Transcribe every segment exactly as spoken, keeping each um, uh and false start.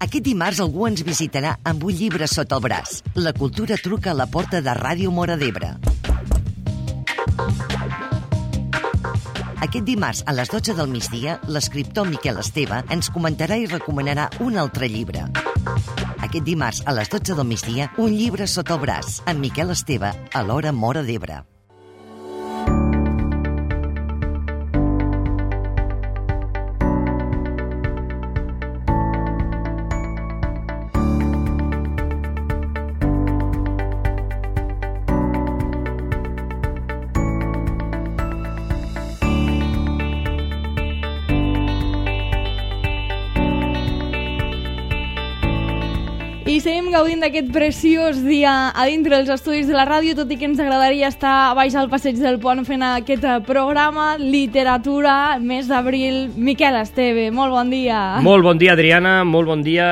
Aquest dimarts algú ens visitarà amb un llibre sota el braç. La cultura truca a la porta de Ràdio Móra d'Ebre. Aquest dimarts, a les dotze del migdia, l'escriptor Miquel Esteve ens comentarà i recomanarà un altre llibre. Aquest dimarts, a les dotze del migdia, un llibre sota el braç, amb Miquel Esteve, a l'Hora Móra d'Ebre. I seguim gaudint d'aquest preciós dia a dintre dels estudis de la ràdio, tot i que ens agradaria estar baix al passeig del pont fent aquest programa Literatura, mes d'abril. Miquel Esteve, molt bon dia. Molt bon dia, Adriana, molt bon dia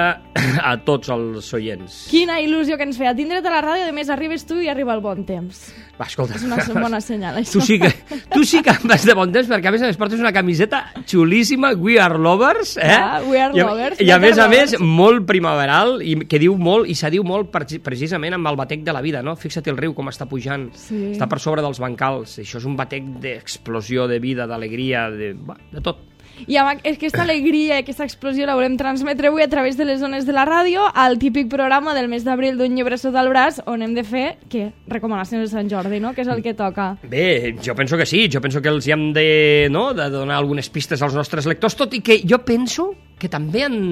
a tots els oients. Quina il·lusió que ens feia tindre't a la ràdio, a més arribes tu i arriba el bon temps. Va, escolta. És una bona senyal, això. Tu sí que, tu sí que vas de bon temps, perquè a més a més portes una camiseta xulíssima, We Are Lovers, eh? Ah, We Are I, Lovers. I a més a més, molt primaveral, i que diu molt, i se diu molt precisament amb el batec de la vida, no? Fixa't el riu com està pujant, sí. Està per sobre dels bancals, això és un batec d'explosió, de vida, d'alegria, de, de tot. I amb aquesta alegria i aquesta explosió la volem transmetre avui a través de les zones de la ràdio al típic programa del mes d'abril d'un llibre sota el braç, on hem de fer, què? Recomanacions de Sant Jordi, no? Que és el que toca. Bé, jo penso que sí, jo penso que els hi hem de, no, de donar algunes pistes als nostres lectors, tot i que jo penso que també han...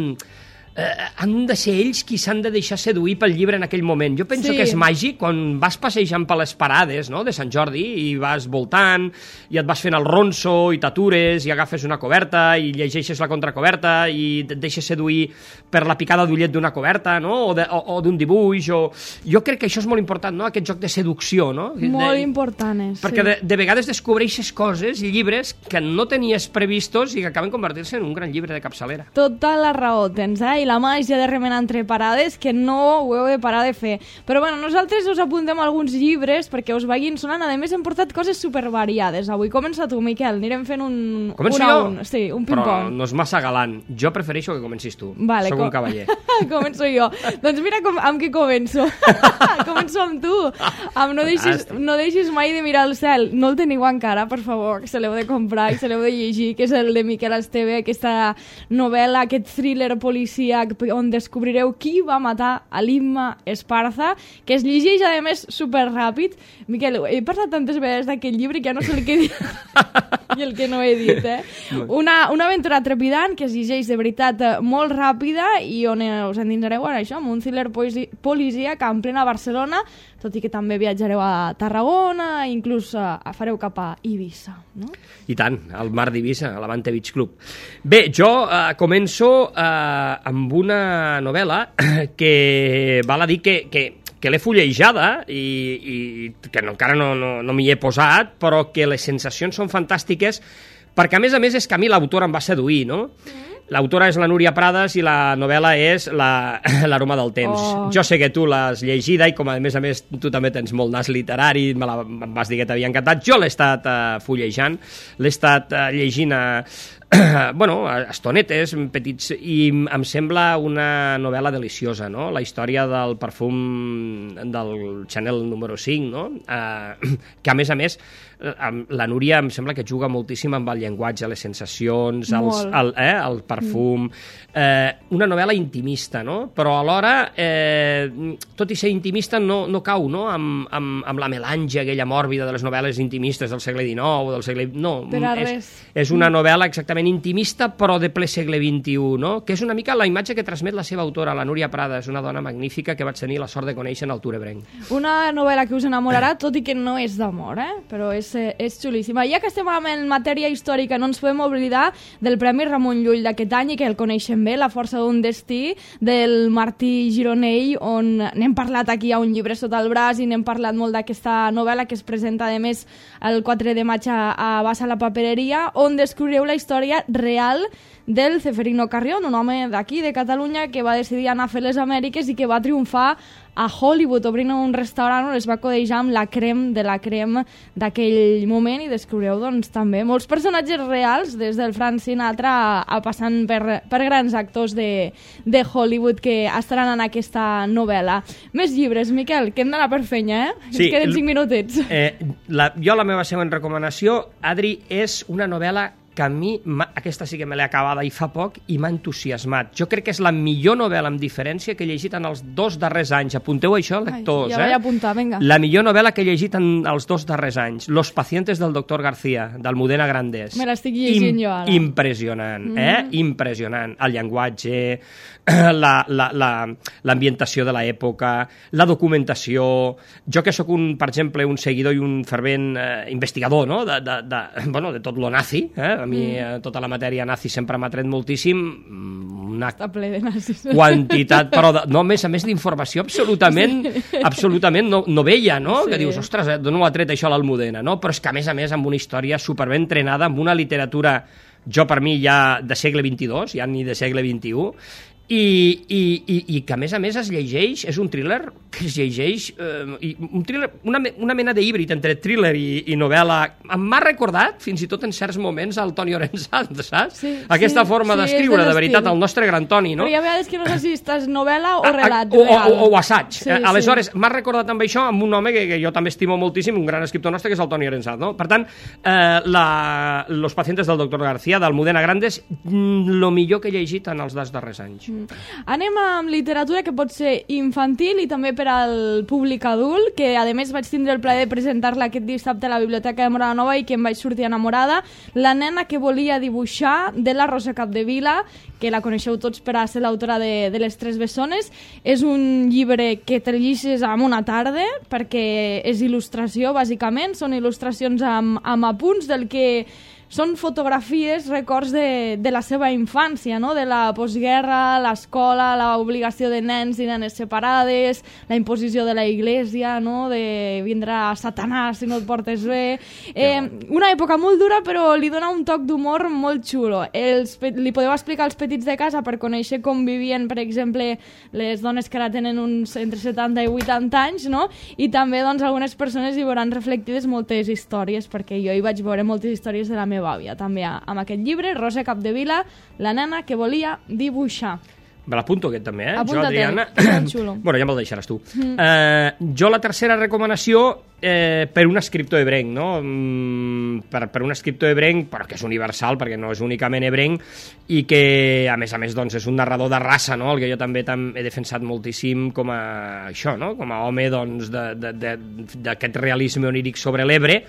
Eh, han de ser ells qui s'han de deixar seduir pel llibre en aquell moment. Jo penso sí. que és màgic quan vas passejant per les parades, no?, de Sant Jordi i vas voltant i et vas fent el ronso i t'atures i agafes una coberta i llegeixes la contracoberta i et deixes seduir per la picada d'ullet d'una coberta, no?, o, de, o, o d'un dibuix o... Jo crec que això és molt important, no?, aquest joc de seducció, no? Molt de... important, és. Perquè sí. de, de vegades descobreixes coses i llibres que no tenies previstos i que acaben convertir-se en un gran llibre de capçalera. Tota la raó tens, eh? I la màgia de remenar entre parades, que no ho heu de parar de fer. Però bueno, nosaltres us apuntem alguns llibres perquè us vagin sonant. A més, hem portat coses supervariades avui. Comença tu, Miquel. Anirem fent un... Començo un jo? Un. Sí, un ping-pong. Però no és massa galant. Jo prefereixo que comencis tu. Vale, Soc com... un cavaller. Començo jo. Doncs mira com, amb què començo. Començo amb tu. Amb no deixis, no deixis mai de mirar el cel. No el teniu encara, per favor, que se l'heu de comprar i se l'heu de llegir, que és el de Miquel Esteve, aquesta novel·la, aquest thriller policíac on descobrireu qui va matar a l'Imma Esparza, que es llegeix, a més, superràpid. Miquel, he parlat tantes vegades d'aquest llibre que ja no sé el que he dit i el que no he dit, eh? Una, una aventura trepidant que es llegeix de veritat molt ràpida i on us endinsareu en això, amb un thriller policíac en plena Barcelona, tot i que també viatjareu a Tarragona, inclús a, a fareu cap a Eivissa, no? I tant, al mar d'Eivissa, a l'Avante Beach Club. Bé, jo eh, començo eh, amb una novel·la que val a dir que, que, que l'he fullejada i, i que no, encara no, no, no m'hi he posat, però que les sensacions són fantàstiques perquè, a més a més, és que a mi l'autora em va seduir, no? Mm. L'autora és la Núria Prades i la novel·la és l'Aroma del temps. Oh. Jo sé que tu l'has llegida i com a més a més tu també tens molt nas literari, me la, em vas dir que t'havia encantat. Jo l'he estat uh, fullejant, l'he estat uh, llegint a... bueno, estonetes, petits, i em sembla una novel·la deliciosa, no? La història del perfum del Chanel número cinc, no? Eh, que a més a més la Núria em sembla que juga moltíssim amb el llenguatge, les sensacions, els, el, eh, el perfum, eh, una novel·la intimista, no? Però alhora, eh, tot i ser intimista, no, no cau, no? Amb, amb, amb la melange aquella mòrbida de les novel·les intimistes del segle dinou o del segle... No, és, és una novel·la exactament intimista, però de ple segle vint-i-u, no? Que és una mica la imatge que transmet la seva autora, la Núria Prades, una dona magnífica que vaig tenir la sort de conèixer en el Tour Ebrenc. Una novel·la que us enamorarà, tot i que no és d'amor, eh? Però és, és xulíssima. Ja que estem en matèria històrica, no ens podem oblidar del Premi Ramon Llull d'aquest any, i que el coneixem bé, La força d'un destí, del Martí Gironell, on n'hem parlat aquí a Un llibre sota el braç, i n'hem parlat molt d'aquesta novel·la que es presenta, a més, el quatre de maig a Bassa la Papereria, on descobrireu la història història real del Ceferino Carrión, un home d'aquí, de Catalunya, que va decidir anar a fer les Amèriques i que va triomfar a Hollywood, obrint un restaurant on es va codejar amb la crem de la crem d'aquell moment, i descobriu doncs, també molts personatges reals, des del Frank Sinatra a, a passant per, per grans actors de, de Hollywood que estaran en aquesta novel·la. Més llibres, Miquel, que hem d'anar per fenya, eh? Sí, Ens queden cinc minutets. Eh, la, jo la meva següent recomanació, Adri, és una novel·la que a mi, aquesta sí que me l'he acabada i fa poc, i m'ha entusiasmat. Jo crec que és la millor novel·la amb diferència que he llegit en els dos darrers anys. Apunteu això, lectors. Ai, ja vaig apuntar, vinga. La millor novel·la que he llegit en els dos darrers anys. Los pacientes del doctor García, d'Almudena Grandes. Me l'estic llegint Im jo ara. Impressionant, mm. eh? Impressionant. El llenguatge, l'ambientació la, la, de l'època, la documentació. Jo que sóc, un, per exemple, un seguidor i un fervent eh, investigador, no?, de, de, de, bueno, de tot lo nazi, eh? A mi mm. tota la matèria nazi sempre m'ha tret moltíssim. Una Està ple de nazis. Quantitat, però de, no, a més a més d'informació absolutament, sí. absolutament no, no veia, no? Sí. Que dius, ostres, d'on ho ha tret això l'Almudena, no? Però és que a més a més amb una història superben entrenada, amb una literatura, jo per mi ja de segle vint-i-dos, ja ni de segle vint-i-u, i, i, i, i que a més a més es llegeix, és un thriller que es llegeix, eh, i un thriller, una, una mena de híbrid entre thriller i, i novel·la. M'ha recordat, fins i tot en certs moments, al Toni Orenzat, saps? Sí, aquesta sí, forma sí, d'escriure, de veritat, el nostre gran Toni, no? Però hi ha vegades que no sé si estàs novel·la o relat o, real. O, o, o assaig. Sí, eh, aleshores, sí. m'ha recordat amb això, amb un home que, que jo també estimo moltíssim, un gran escriptor nostre, que és el Toni Orenzat, no? Per tant, eh, la, Los pacientes del doctor García, d'Almudena Grandes, lo millor que he llegit en els dos darrers anys. Mm. Anem amb literatura que pot ser infantil i també per al públic adult, que a més vaig tindre el plaer de presentar-la aquest dissabte a la Biblioteca de Móra la Nova i que em vaig sortir enamorada. La nena que volia dibuixar, de la Rosa Capdevila, que la coneixeu tots per a ser l'autora de, de Les Tres Bessones. És un llibre que te llegeixes en una tarda, perquè és il·lustració, bàsicament. Són il·lustracions amb, amb apunts del que són fotografies, records de, de la seva infància, no? De la postguerra, l'escola, l'obligació de nens i nenes separades, la imposició de la Iglesia, no? De vindrà Satanàs si no et portes bé. Eh, una època molt dura, però li dona un toc d'humor molt xulo. Els, li podeu explicar als petits de casa per conèixer com vivien, per exemple, les dones que ara tenen uns entre setanta i vuitanta anys, no? I també doncs, algunes persones hi veuran reflectides moltes històries, perquè jo hi vaig veure moltes històries de la meva àvia, també amb aquest llibre, Rosa Capdevila, la nena que volia dibuixar. Me l'apunto aquest també, eh? Apunta-te, jo, Adriana... xulo. Bueno, ja me'l deixaràs tu. Mm. Eh, jo la tercera recomanació eh, per un escriptor ebrenc, no? Mm, per, per un escriptor ebrenc, però que és universal, perquè no és únicament ebrenc, i que, a més a més, doncs, és un narrador de raça, no? El que jo també tam he defensat moltíssim com a això, no? Com a home, doncs, d'aquest realisme oníric sobre l'Ebre,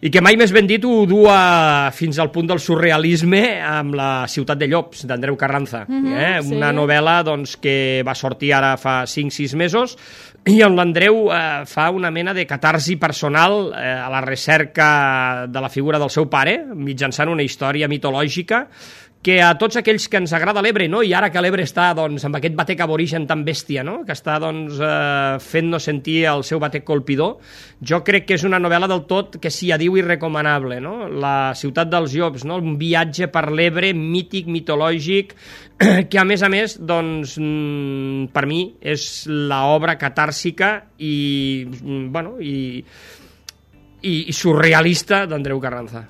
i que mai més ben dit ho du a, fins al punt del surrealisme amb La ciutat de llops, d'Andreu Carranza. Mm-hmm, eh? Sí. Una novel·la doncs, que va sortir ara fa cinc sis mesos i on l'Andreu eh, fa una mena de catarsi personal eh, a la recerca de la figura del seu pare, mitjançant una història mitològica que a tots aquells que ens agrada l'Ebre, no? I ara que l'Ebre està doncs, amb aquest batec aborigen tan bèstia, no? Que està doncs, eh, fent-nos sentir el seu batec colpidor, jo crec que és una novel·la del tot que s'hi adiu i recomanable, no? La ciutat dels llops, no? Un viatge per l'Ebre mític, mitològic, que a més a més, doncs, per mi és l'obra catàrsica i, bueno, i... i surrealista d'Andreu Carranza.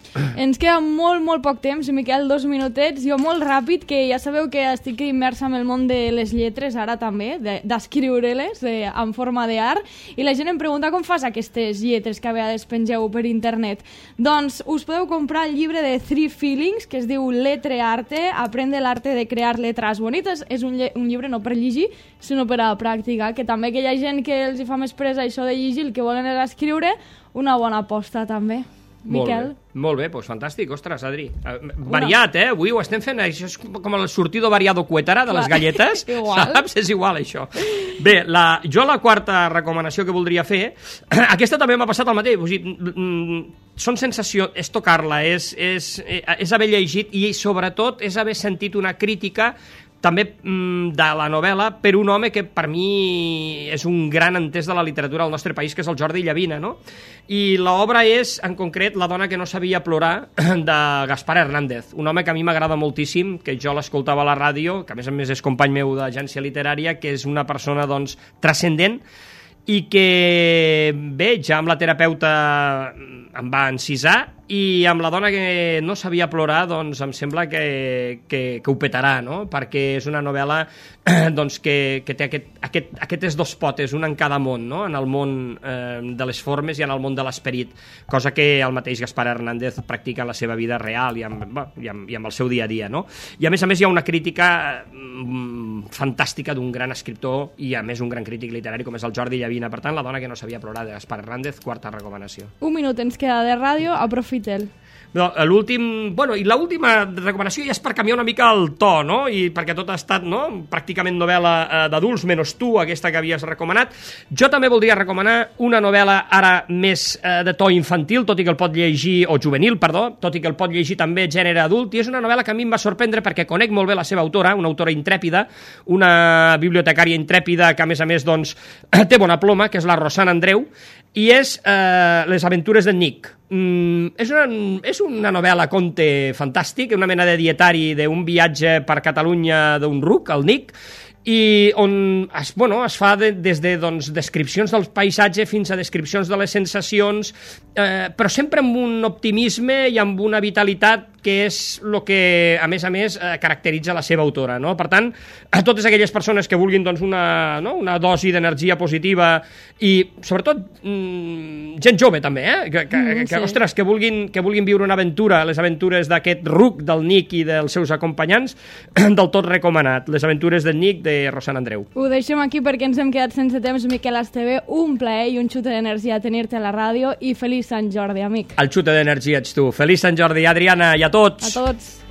Ens queda molt, molt poc temps, Miquel, dos minutets. Jo molt ràpid, que ja sabeu que estic immersa en el món de les lletres, ara també, d'escriure-les de, en forma d'art, i la gent em pregunta com fas aquestes lletres que a vegades pengeu per internet. Doncs us podeu comprar el llibre de Three Feelings, que es diu Letrearte, aprende l'arte de crear letras bonites. És un, un llibre no per llegir, sinó per a practicar, que també que hi ha gent que els hi fa més presa això de llegir, el que volen és escriure, una bona aposta també. Miquel? Molt bé, molt bé, doncs fantàstic, ostres, Adri. Variat, eh? Avui ho estem fent, això és com el sortido variado cuétara de les galletes, saps? És igual, això. Bé, la, jo la quarta recomanació que voldria fer, aquesta també m'ha passat el mateix, o sigui, són sensació, és tocar-la, és, és, és haver llegit i sobretot és haver sentit una crítica també mm, de la novel·la per un home que per mi és un gran entès de la literatura del nostre país, que és el Jordi Llavina, no? I l'obra és, en concret, La dona que no sabia plorar, de Gaspar Hernández, un home que a mi m'agrada moltíssim, que jo l'escoltava a la ràdio, que a més a més és company meu d'agència literària, que és una persona, doncs, transcendent, i que, bé, ja amb la terapeuta em va encisar, i amb La dona que no sabia plorar, doncs em sembla que, que, que ho petarà, no? Perquè és una novel·la doncs, que, que té aquest, aquest, aquestes dos potes, un en cada món, no? En el món eh, de les formes i en el món de l'esperit, cosa que el mateix Gaspar Hernández practica en la seva vida real i amb, bé, i amb, i amb el seu dia a dia, no? I a més a més hi ha una crítica mm, fantàstica d'un gran escriptor i a més un gran crític literari com és el Jordi Llavina. Per tant, La dona que no sabia plorar, de Gaspar Hernández, quarta recomanació. Un minut ens queda de ràdio, aprofita'l. No, l'últim, bueno, i l'última recomanació ja és per canviar una mica el to, no? I perquè tot ha estat, no?, pràcticament novel·la eh, d'adults, menys tu, aquesta que havies recomanat. Jo també voldria recomanar una novel·la ara més eh, de to infantil, tot i que el pot llegir, o juvenil, perdó, tot i que el pot llegir també gènere adult, i és una novel·la que a mi em va sorprendre perquè conec molt bé la seva autora, una autora intrèpida, una bibliotecària intrèpida que, a més a més, doncs, té bona ploma, que és la Rosana Andreu, i és eh, Les aventures d'en Nick. Mm, és, una, és una novel·la conte fantàstic, una mena de dietari d'un viatge per Catalunya d'un ruc, el Nick, i on es, bueno, es fa de, des de doncs, descripcions del paisatge fins a descripcions de les sensacions, eh, però sempre amb un optimisme i amb una vitalitat que és el que, a més a més, eh, caracteritza la seva autora, no? Per tant, a totes aquelles persones que vulguin doncs, una, no? una dosi d'energia positiva i, sobretot, mmm, gent jove també, eh? que, que, mm, que, sí. ostres, que vulguin, que vulguin viure una aventura, les aventures d'aquest ruc del Nick i dels seus acompanyants, del tot recomanat. Les aventures del Nick de Rosana Andreu. Ho deixem aquí perquè ens hem quedat sense temps. Miquel Esteve, un plaer i un xute d'energia tenir-te a la ràdio i feliç Sant Jordi, amic. El xute d'energia ets tu. Feliç Sant Jordi, Adriana, i a tots. A tots.